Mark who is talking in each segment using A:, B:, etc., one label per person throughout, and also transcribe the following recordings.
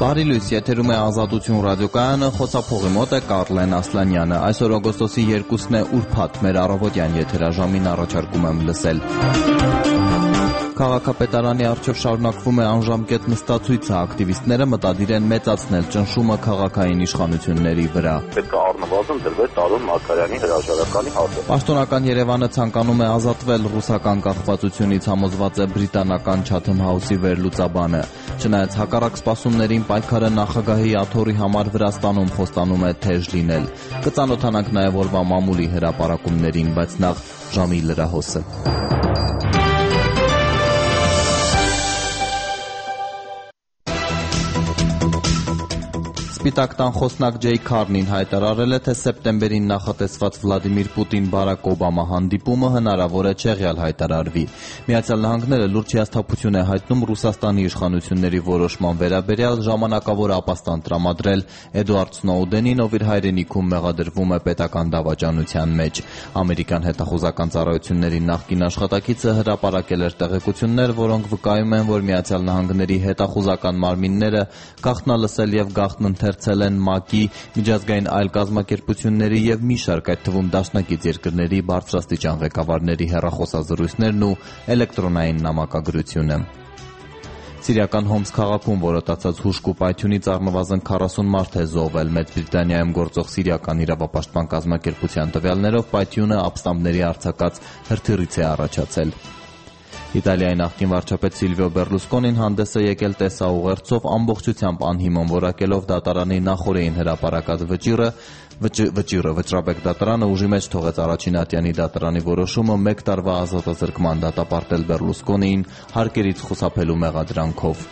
A: Բարի լույս, եթերում է Ազատություն ռադիոկայանը, խոսափողի մոտ է Կարլեն Ասլանյանը։ Այսօր օգոստոսի 2-ն է ուրբաթ, մեր առավոտյան եթերաժամին առաջարկում եմ լսել։ Քաղաքապետարանի առջև շարունակվում է անժամկետ նստացույցը, ակտիվիստները մտադիր են մեծացնել ճնշումը քաղաքային իշխանությունների վրա։
B: Պետք է առնվազն դրվեր Տարոն Մարգարյանի հրաժարականի հաշվը։
A: Պաշտոնական Երևանը ցանկանում է ազատվել ռուսական կախվածությունից, համոզված է բրիտանական Chatham House-ի վերլուծաբանը։ Չնայած հակառակ սպասումներին, պայքարը նախագահի աթոռի համար Վրաստանում խոստանում է թեժ լինել։ Կծանոթանանք նաև օրվա մամուլի հրապարակումներին, բայց նախ ժամի լրահոսը։ Սպիտակ տան խոսնակ Ջեյ Քարնին հայտարարել է, թե սեպտեմբերին նախատեսված Վլադիմիր Պուտին-Բարակ Օբամա հանդիպումը հնարավոր է չեղյալ հայտարարվի։ Միացյալ Նահանգները լուրջ հիասթափություն է հայտնում Ռուսաստանի իշխանությունների որոշման վերաբերյալ ժամանակավոր ապաստան տրամադրել Էդուարդ Սնոուդենին, ով իր հայրենիքում մեղադրվում է պետական դավաճանության մեջ։ Ամերիկյան հետախուզական ծառայությունների նախկին աշխատակիցը հրապարակել էր տեղեկություններ, որոնք վկայում են, որ Միացյալ Նահանգների հետախուզական մարմինները գաղտնալսել եւ գաղտնընթերցել են ՄԱԿ-ի, միջազգային այլ կազմակերպությունների եւ մի շարք, այդ թվում դաշնակից երկրների բարձրաստիճան ղեկավարների հեռախոսազրույցներն ու էլեկտրոնային նամակագրությունը։ Սիրիական Հոմս քաղաքում որոտացած հուժկ ու պայթյունից առնվազն 40 մարդ է զոհվել։ Մեծ Բրիտանիայում գործող սիրիական իրավապաշտպան կազմակերպության տվյալներով պայթյունը ապստամբների արձակած հրթիռից է առաջացել։ Իտալիայի նախկին վարչապետ Սիլվիո Բերլուսկոնին հանդես է եկել տեսաուղերձով, ամբողջությամբ անհիմն որակելով դատարանի նախօրեին հրապարակած վճիռը։ Դատարանը ուժի մեջ թողեց առաջին ատյանի դատարանի որոշումը 1 տարվա ազատազրկման դատապարտել Բերլուսկոնիին հարկերից խուսափելու մեղադրանքով։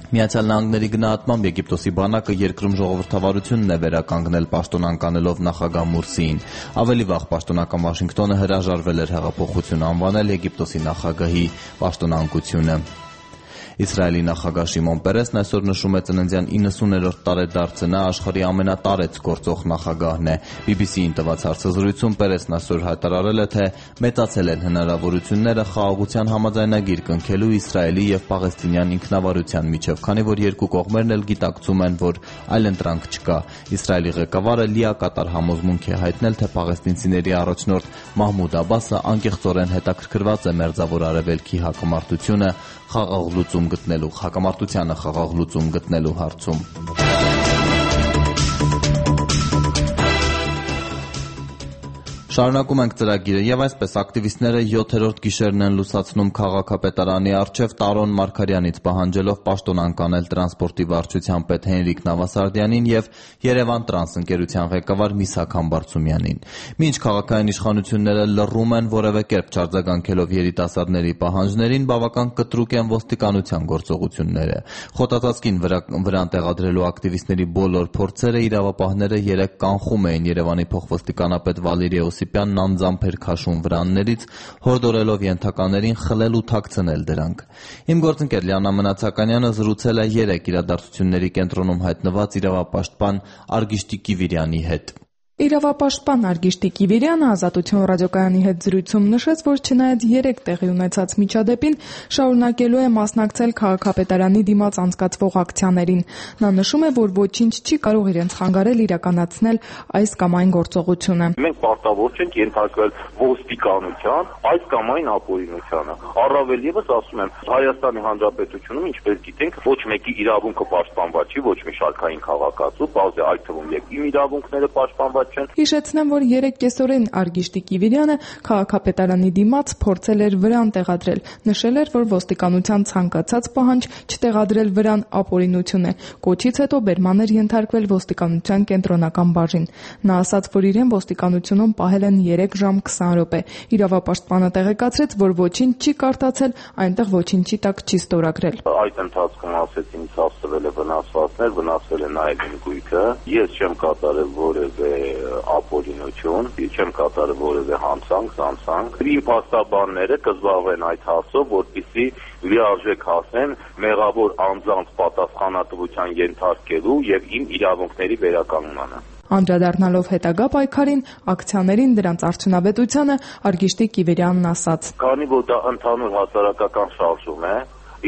A: Միացյալ Նահանգների գնահատմամբ Եգիպտոսի բանակը երկրում ժողովրդավարությունն է վերականգնել, պաշտոնանկանելով նախագահ Մուրսիին։ Ավելի վաղ պաշտոնական Վաշինգտոնը հրաժարվել էր հեղափոխություն անվանել Եգիպտոսի նախագահի պաշտոնանկությունը։ Իսրայելի նախագահ Շիմոն Պերեսն այսօր նշում է ծննդյան 90-րդ տարեդարձը, նա աշխարհի ամենատարեց գործող նախագահն է։ BBC-ին տված հարցազրույցում Պերեսն այսօր հայտարարել է, թե մեծացել են հնարավորությունները խաղաղության համաձայնագիր կնքելու Իսրայելի եւ Պաղեստինյան ինքնավարության միջև, քանի որ երկու կողմերն էլ գիտակցում են, որ այլընտրանք չկա։ Իսրայելի ղեկավարը լիակատար համոզմունք է հայտնել, թե պաղեստինցիների առաջնորդ Մահմուդ Աբասը անկեղծորեն հետաքրքրված է Մերձավոր Արևելքի հակամարտությանը խաղաղ լուծում գտնելու հարցում։ Շարունակում ենք ծրագիրը եւ այսպես ակտիվիստները 7-րդ գիշերն են լուսացնում քաղաքապետարանի առջև Տարոն Մարգարյանից պահանջելով պաշտոնանկանել տրանսպորտի վարչության պետ Հենրիկ Նավասարդյանին եւ Երևան տրանս ընկերության ղեկավար Միսակ Համբարձումյանին։ Մինչ քաղաքային իշխանությունները լռում են, որևէ կերպ չարձագանքելով երիտասարդների պահանջներին, բավական կտրուկ են ոստիկանության գործողությունները։ Խոտածածկին վրան տեղադրելու ակտիվիստների բոլոր փորձերը իրավապահները 3 կանխում էին։ Երևանի փոխոստիկանապետ Վալերիա Օսիպյանն անձամբ էր քաշում վրաններից, հորդորելով ենթականերին խլել ու թաքցնել դրանք։ Իմ գործընկեր Լիանա Մնացականյանը զրուցել է 3 իրադարձությունների կենտրոնում հայտնված իրավապաշտպան Արգիշտի Կիվիրյանի հետ։
C: Իրավապաշտպան Արգիշտի Կիվիրյանը Ազատություն ռադիոկայանի հետ զրույցում նշեց, որ չնայած 3 տեղի ունեցած միջադեպին շարունակելու է մասնակցել քաղաքապետարանի դիմաց անցկացվող ակցիաներին։ Նա նշում է, որ ոչինչ չի կարող իրենց խանգարել իրականացնել այս կամ այն գործողությունը։
B: Մենք պարտավոր չենք ենթարկվել ոստիկանության այս կամ այն ապօրինությանը։ Առավել եւս ասում եմ, Հայաստանի Հանրապետությունում, ինչպես գիտենք, ոչ մեկի իրավունքը պաշտպանված չի, ոչ մի շարքային քաղաքացու, բազե այդ թվում եւ իմ իրավունքները պաշտպանված չեն։
C: Հիշեցնեմ, որ 3 կեսօրին Արգիշտի Կիվիրյանը քաղաքապետարանի դիմաց փորձել էր վրան տեղադրել։ Նշել էր, որ ոստիկանության ցանկացած պահանջ չտեղադրել վրան ապօրինություն է։ Կոչից հետո բերման էր ենթարկվել ոստիկանության կենտրոնական բաժին։ Նա ասաց, որ իրեն ոստիկանությունում պահել են 3 ժամ 20 րոպե։ Իրավապաշտպանը տեղեկացրեց, որ ոչինչ չի կարդացել, այնտեղ ոչինչի տակ չի ստորագրել։
B: Այդ ընթացքում ասեցին, ցավսվել է վնասվածքներ, վնասվել է նաև իմ գույքը։ Ես չեմ կատարել որևէ ապօրինություն, չեմ կատարել որևէ հանցանք։ Իմ փաստաբանները կզբաղվեն այդ հարցով, որպեսզի լիարժեք հասնեն մեղավոր անձանց պատասխանատվության ենթարկելու եւ իմ իրավունքների վերականգնմանը։
C: Անդրադառնալով հետագա պայքարին, ակցիաներին, դրանց արդյունավետությանը, Արգիշտի Կիվիրյանն ասաց.
B: Քանի որ դա ընդհանուր հասարակական շարժում է,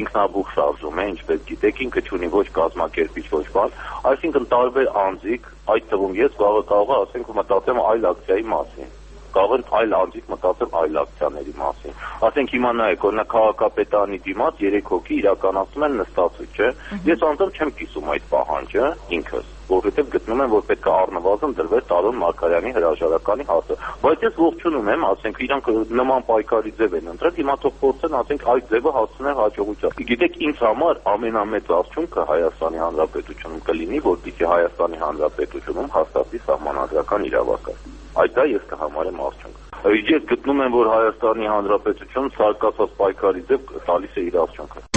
B: ինքնաբուխ շարժում է, ինչպես գիտեք, ինքը չունի ոչ կազմակերպիչ, ոչ բան, այսինքն տարբեր անձիկ, այդ թվում ես կարող ասենք մտածեմ այլ ակցիայի մասին, կարող են այլ անձիկ մտածեմ այլ ակցիաների մասին, ասենք հիմա նայեք, օրինակ քաղաքապետարանի դիմաց 3 հոգի իրականացնում են նստածույց, չէ, ես անձամբ չեմ կիսում այդ պահանջը ինքս, որովհետև գտնում եմ, որ պետք է առնվազն դրվեր Տարոն Մարգարյանի հրաժարականի հարցը, բայց ես ողջունում եմ, ասենք իրանք նման պայքարի ձև են ընտրել, հիմա թող փորձեն, ասենք այդ ձևը հասցնել հաջողության։ Գիտեք, ինձ համար ամենամեծ արդյունքը Հայաստանի Հանրապետությունում կլինի, որպեսզի Հայաստանի Հանրապետությունում հաստատվի սահմանադրական իրավասար։ Այդ դա ես կհամարեմ արդյունք։ Ես գտնում եմ, որ Հայաստանի Հանրապետությունը սարկացած պայքարի ձև տալիս է իր արդյունքը։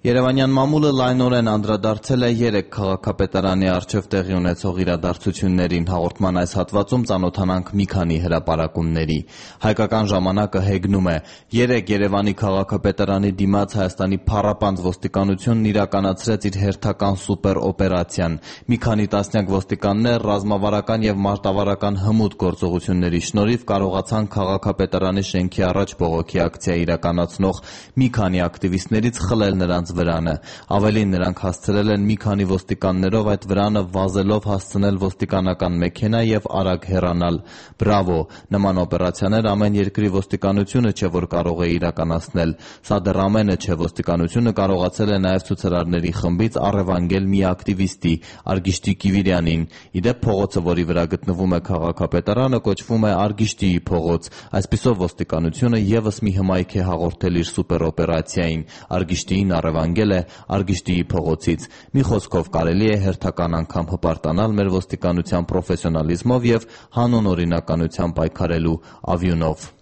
A: Երևանյան մամուլը լայնորեն անդրադարձել է 3 քաղաքապետարանի առջև տեղի ունեցող իրադարձություններին, հաղորդման այս հատվածում ծանոթանանք մի քանի հրապարակումների։ Հայկական ժամանակը հեգնում է. 3 Երևանի քաղաքապետարանի դիմաց Հայաստանի փառապանծ ոստիկանությունն իրականացրեց իր հերթական սուպեր օպերացիան։ Մի քանի տասնյակ ոստիկաններ ռազմավարական եւ մարտավարական հմուտ գործողությունների շնորհիվ կարողացան քաղաքապետարանի շենքի առաջ բողոքի ակցիա իրականացնող մի քանի ակտիվիստներից խլել նրանց վրանը։ Ավելին, նրանք հասցրել են մի քանի ոստիկաններով այդ վրանը վազելով հասցնել ոստիկանական մեքենա եւ արագ հեռանալ։ Բրավո, նման օպերացիաներ ամեն երկրի ոստիկանությունը չէ, որ կարող է իրականացնել։ Սա դեռ ամենը չէ, ոստիկանությունը կարողացել է նաեւ ցուցարարների խմբից առևանգել մի ակտիվիստի, Արգիշտի Կիվիրյանին։ Իդեպ փողոցը, որի վրա գտնվում է քաղաքապետարանը, կոչվում է Արգիշտիի փողոց։ Այսպիսով ոստիկանությունը եւս մի հմայք է հաղորդել իր սուպեր օպերացիային։ Արգիշտիին առևանգել է Արգիշտիի փողոցից։ Մի խոսքով կարելի է հերթական անգամ հպարտանալ մեր ոստիկանության պրոֆեսիոնալիզմով եւ հանուն օրինականության պայքարելու ավյունով։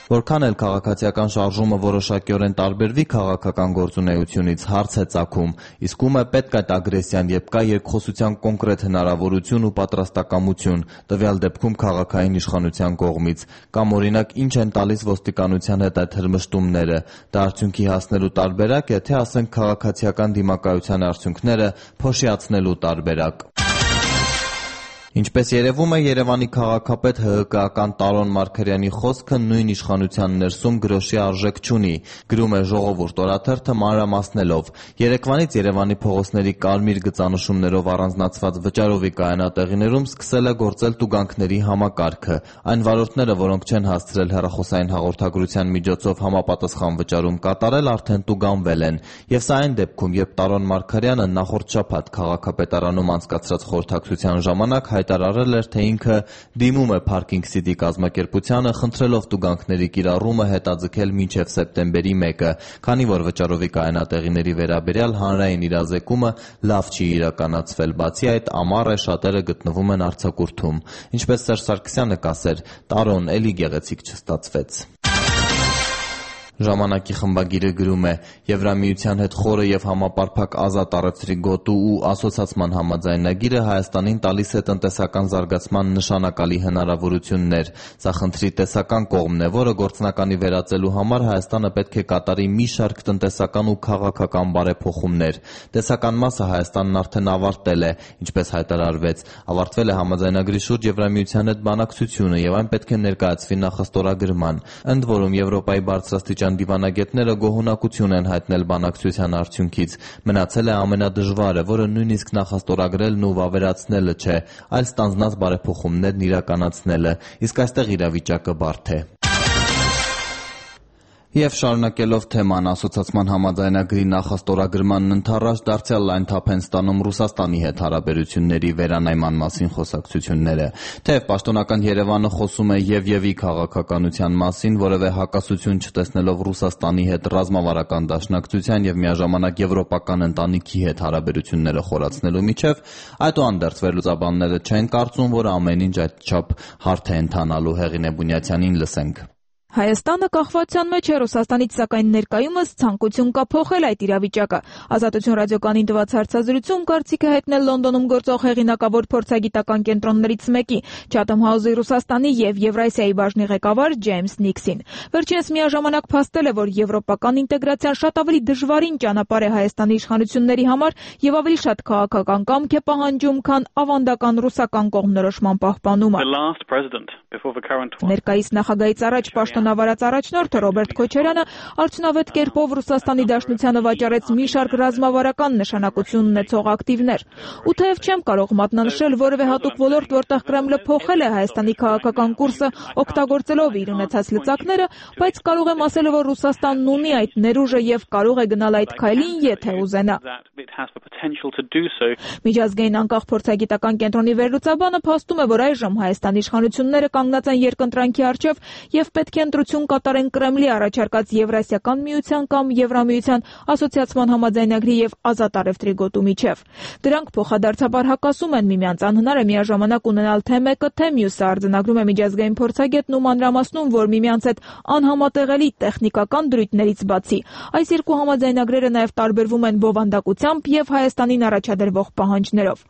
A: Որքան էլ քաղաքացիական շարժումը որոշակիորեն տարբերվի քաղաքական գործունեությունից, հարց է ծագում, իսկ ում է պետք այդ ագրեսիան, երբ կա երկխոսության կոնկրետ հնարավորություն ու պատրաստակամություն, տվյալ դեպքում քաղաքային իշխանության կողմից, կամ օրինակ ինչ են տալիս ոստիկանության հետ այդ հրմշտումները, դա արդյունքի հասնելու տարբերակ է, թե ասենք քաղաքացիական դիմակայության արդյունքները փոշիացնելու տարբերակ։ Ինչպես երևում է, Երևանի քաղաքապետ ՀՀԿ-ական Տարոն Մարգարյանի խոսքը նույն իշխանության ներսում գրոշի արժեք չունի, գրում է Ժողովուրդ օրաթերթը մանրամասնելով։ Երեկվանից Երևանի փողոցների կարմիր գծանշումներով առանձնացված վճարովի կայանատեղիներում սկսել է գործել տուգանքների համակարգը։ Այն վարորդները, որոնք չեն հասցրել հեռախոսային հաղորդագրության միջոցով համապատասխան վճարում կատարել, արդեն տուգանվել են։ Եվ սա այն դեպքում, երբ Տարոն Մարգարյանը նախորդ շաբաթ քաղաքապետարանում անցկացրած խորհրդակցության ժամանակ հայտարարել էր, թե ինքը դիմում է Parking City կազմակերպությանը, խնդրելով տուգանքների կիրառումը հետաձգել մինչև սեպտեմբերի 1-ը, քանի որ վճարովի կայանատեղիների վերաբերյալ հանրային իրազեկումը լավ չի իրականացվել, բացի այդ ամառ է, շատերը գտնվում են արձակուրդում։ Ինչպես Սերժ Սարգսյանը կասեր, Տարոն էլի գեղեցիկ չստացվեց։ Ժամանակի խմբագիրը գրում է. Եվրամիության հետ խորը եւ համապարփակ ազատ առևտրի գոտու ու ասոցացման համաձայնագիրը Հայաստանին տալիս է տնտեսական զարգացման նշանակալի հնարավորություններ։ Սա խնդրի տեսական կողմն է, որը գործնականի վերածելու համար Հայաստանը պետք է կատարի մի շարք տնտեսական ու քաղաքական բարեփոխումներ։ Տեսական մասը Հայաստանն արդեն ավարտել է, ինչպես հայտարարվեց։ Ավարտվել է համաձայնագրի շուրջ Եվրամիության հետ բանակցությունը եւ այն պետք է ներկայացվի նախաստորագրման։ Ընդ որում Եվրոպայի բարձրաստիճան դիվանագետները գոհունակություն են հայտնել բանակցության արդյունքից։ Մնացել է ամենադժվարը, որը նույնիսկ նախաստորագրելն ու վավերացնելը չէ, այլ ստանձնած բարեփոխումներն իրականացնելը, իսկ այստեղ իրավիճակը բարդ է։ Եվ շարունակելով թեման, ասոցացման համաձայնագրի նախաստորագրմանն ընդառաջ դարձյալ այն թափ են ստանում Ռուսաստանի հետ հարաբերությունների վերանայման մասին խոսակցությունները։ Թեև պաշտոնական Երևանը խոսում է Եվի քաղաքականության մասին, որևէ հակասություն չտեսնելով Ռուսաստանի հետ ռազմավարական դաշնակցության եւ միաժամանակ եվրոպական ընտանիքի հետ հարաբերությունները խորացնելու միջև, այդուհանդերձ վերլուծաբանները չեն կարծում, որ ամեն ինչ այդչափ հարթ է ընթանալու։ Հեղինե Բունյացյանին լսենք։
D: Հայաստանը կախվածության մեջ է Ռուսաստանից, սակայն ներկայումս ցանկություն կա փոխել այդ իրավիճակը։ Ազատություն ռադիոկայանին տված հարցազրույցում կարծիք է հայտնել Լոնդոնում գործող հեղինակավոր փորձագիտական կենտրոններից մեկի Chatham House-ի Ռուսաստանի եւ Եվրասիայի բաժնի ղեկավար Ջեյմս Նիքսին։ Վերջինս միաժամանակ փաստել է, որ եվրոպական ինտեգրացիան շատ ավելի դժվարին ճանապարհ է Հայաստանի իշխանությունների համար եւ ավելի շատ քաղաքական կամք է պահանջում, քան ավանդական ռուսական կողմնորոշման պահպանումը։ Ներկայիս նախագահից առաջ պաշտոնավարած առաջնորդը Ռոբերտ Քոչարյանը արդյունավետ կերպով Ռուսաստանի Դաշնությանը վաճառեց մի շարք ռազմավարական նշանակություն ունեցող ակտիվներ։ Ու թեև չեմ կարող մատնանշել որևէ հատուկ ոլորտ, որտեղ Կրեմլը փոխել է Հայաստանի քաղաքական կուրսը օգտագործելով իր ունեցած լծակները, բայց կարող եմ ասել, որ Ռուսաստանն ունի այդ ներուժը եւ կարող է գնալ այդ քայլին, եթե ուզենա։ Միջազգային անկախ փորձագիտական կենտրոնի վերլուծաբանը փաստում է, որ այժմ Հայաստանի իշխանությունները կանգնած են երկընտրանքի առջև եւ պետք է ընտրություն կատարեն Կրեմլի առաջարկած Եվրասիական միության կամ Եվրամիության ասոցիացման համաձայնագրի եւ ազատ առևտրի գոտու միջև։ Դրանք փոխադարձաբար հակասում են միմյանց, անհնար է միաժամանակ ունենալ թե մեկը, թե մյուսը, արձանագրում է միջազգային փորձագետն ու մանրամասնում, որ միմյանց հետ անհամատեղելի տեխնիկական դրույթներից բացի այս երկու համաձայնագրերը նաեւ տարբերվում են բովանդակությամբ եւ Հայաստանին առաջադրվող պահանջներով։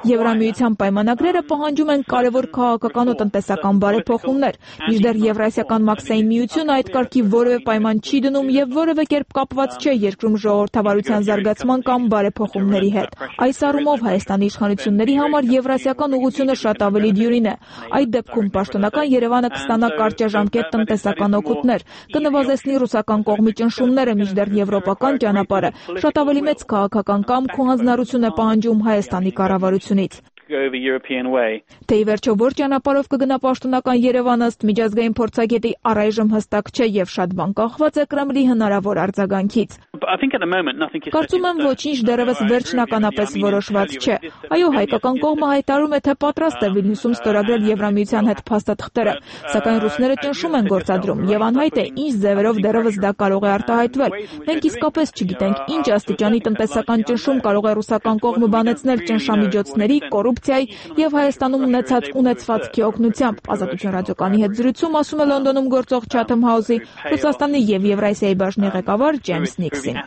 D: Եվրամիության պայմանագրերը պահանջում են կարևոր քաղաքական ու տնտեսական բարեփոխումներ, մինչդեռ Եվրասիական մաքսային միությունը այդ կարգի որևէ պայման չի դնում եւ որևէ կերպ կապված չէ երկրում ժողովրդավարության զարգացման կամ բարեփոխումների հետ։ Այս առումով Հայաստանի իշխանությունների համար Եվրասիական ուղղությունը շատ ավելի դյուրին է։ Այդ դեպքում պաշտոնական Երևանը կստանա կարճաժամկետ տնտեսական օգուտներ, կնվազեցնի ռուսական կողմի ճնշումները, մինչդեռ եվրոպական ճանապարհը շատ ավելի մեծ քաղաքական կամք ու հանձնարարություն է պահանջում Հայաստանի կառավարությունից։ Թե ի վերջո որ ճանապարհով կգնա պաշտոնական Երևանը, ըստ միջազգային փորձագետի առայժմ հստակ չէ եւ շատ բան կախված է Կրեմլի հնարավոր արձագանքից։ Կարծում եմ ոչինչ դեռևս վերջնականապես որոշված չէ։ Այո, հայկական կողմը հայտարարում է, թե պատրաստ է Վիլնյուսում ստորագրել Եվրամիության հետ փաստաթղթերը, սակայն ռուսները ճնշում են գործադրում եւ անհայտ է ինչ ձևերով դեռևս դա կարող է արտահայտվել։ Մենք իսկապես չգիտենք ինչ աստիճանի տնտեսական ճնշում կարող է ռուսական կողմը բանեցնել ճնշամիջոցների, կոռուպցիայի եւ Հայաստանում ունեցվածքի օգնությամբ։ Ազատություն ռադիոկայանի հետ զրույցում ասում է Լոնդոնում գործող Chatham House-ի Ռուսաստանի եւ Եվրասիայի բաժնի ղեկավար Ջեյմս Նիքսին։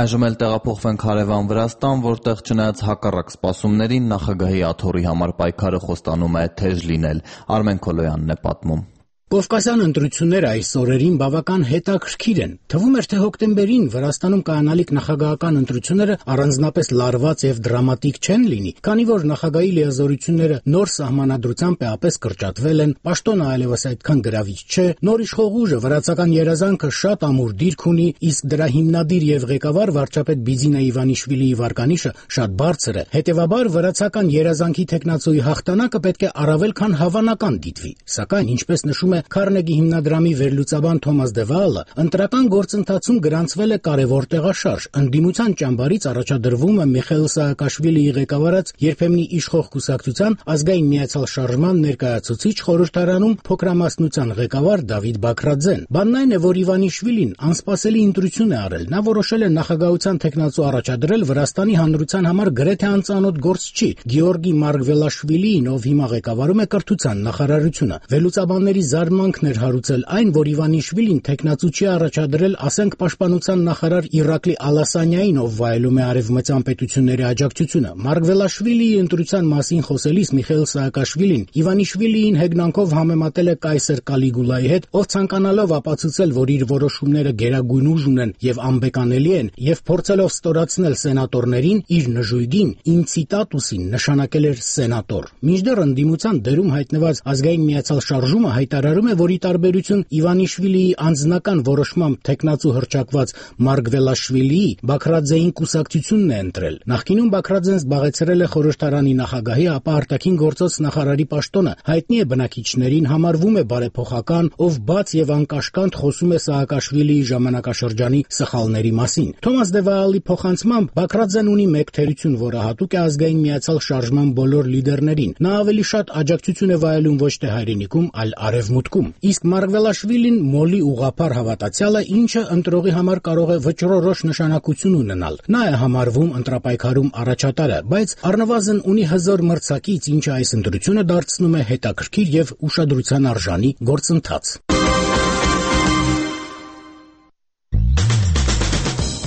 A: Այժմ էլ տեղափոխվենք հարևան Վրաստան, որտեղ չնայած հակառակ սպասումներին նախագահի աթոռի համար պայքարը խոստանում է թեժ լինել։ Արմեն Քոլոյանն է պատմում։
E: Կովկասյան ընտրությունները այս օրերին բավական հետաքրքիր են։ Թվում էր, թե հոկտեմբերին Վրաստանում կայանալիք նախագահական ընտրությունները առանձնապես լարված եւ դրամատիկ չեն լինի, քանի որ նախագահի լիազորությունները նոր սահմանադրությամբ էապես կրճատվել են, պաշտոնը այլևս այդքան գրավիչ չէ, նոր իշխող ուժը վրացական երազանքը շատ ամուր դիրք ունի, իսկ դրա հիմնադիր եւ ղեկավար վարչապետ Բիձինա Իվանիշվիլիի վարկանիշը շատ բարձր է։ Հետևաբար վրացական երազանքի տեխնացուի հաղթանակը պետք է առավել քան հավանական դիտվի։ Սակայն, ինչպես նշում է Քարնեգի հիմնադրամի վերլուծաբան Թոմաս Դեվալը, ընտրական գործընթացում գրանցվել է կարևոր տեղաշարժ։ Ընդդիմության ճամբարից առաջադրվում է Միխայիլ Սաակաշվիլիի ղեկավարած երբեմնի իշխող կուսակցության ազգային միացյալ շարժման ներկայացուցիչ, խորհրդարանում փոքրամասնության ղեկավար Դավիթ Բաքրաձեն։ Բանն այն է, որ Իվանիշվիլին անսպասելի ընտրություն է արել։ Նա որոշել է նախագահության տեխնացու առաջադրել Վրաստանի հանրության համար գրեթե անծանոթ գործչի Գեորգի Մարգվելաշվիլիին, ով հիմա ղեկավարում է կրթության նախարարությունը։ Վերլուծաբանների զարմանքն էր հարուցել այն, որ Իվանիշվիլին տեխնացու չի առաջադրել, ասենք, պաշտպանության նախարար Իրակլի Ալասանյային, ով վայելում է արևմտյան պետությունների աջակցությունը։ Մարգվելաշվիլիի ընտրության մասին խոսելիս Միխայիլ Սաակաշվիլին Իվանիշվիլիին հեգնանքով համեմատել է կայսեր Կալիգուլայի հետ, ով ցանկանալով ապացուցել, որ իր որոշումները գերագույն ուժ ունեն եւ անբեկանելի են, եւ փորձելով ստորացնել սենատորներին, իր նժույգին ինցիտատուսին նշանակել էր սենատոր։ Մինչդեռ ընդդիմության դերում հայտնված ազգային միացյալ շարժումը հայտարարում է, որ ի տարբերություն Իվանիշվիլիի անձնական որոշմամբ տեխնացու հռչակված Մարգվելաշվիլիի, Բաքրաձեին կուսակցությունն է ընտրել։ Նախկինում Բաքրաձեն զբաղեցրել է խորհրդարանի նախագահի, ապա արտաքին գործոց նախարարի պաշտոնը, հայտնի է բնակիչներին, համարվում է բարեփոխական, ով բաց եւ անկաշկանդ խոսում է Սաակաշվիլիի ժամանակաշրջանի սխալների մասին։ Թոմաս Դեվալի փոխանցմամբ Բաքրաձեն ունի մեկ թերություն, որը հատուկ է ազգային միացյալ շարժման բոլոր լիդերներին։ Նա ավելի շատ աջակցություն է վայելում ոչ թե հայրենիքում, այլ արևմուտքում։ Իսկ Մարգվելաշվիլին մոլի ուղղափառ հավատացյալ է, ինչը ընտրողի համար կարող է վճռորոշ նշանակություն ունենալ։ Նա է համարվում ընտրապայքարում առաջատարը, բայց առնվազն ունի հզոր մրցակից, ինչը այս ընտրությունը դարձնում է հետաքրքիր եւ ուշադրության արժանի գործընթաց։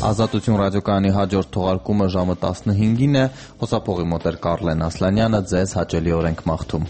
A: Ազատություն ռադիոկայանի հաջորդ թողարկումը ժամը 15-ին է։ Խոսափողի մոտ էր Կարլեն Ասլանյանը, ձեզ հաճելի օրենք մաղթում։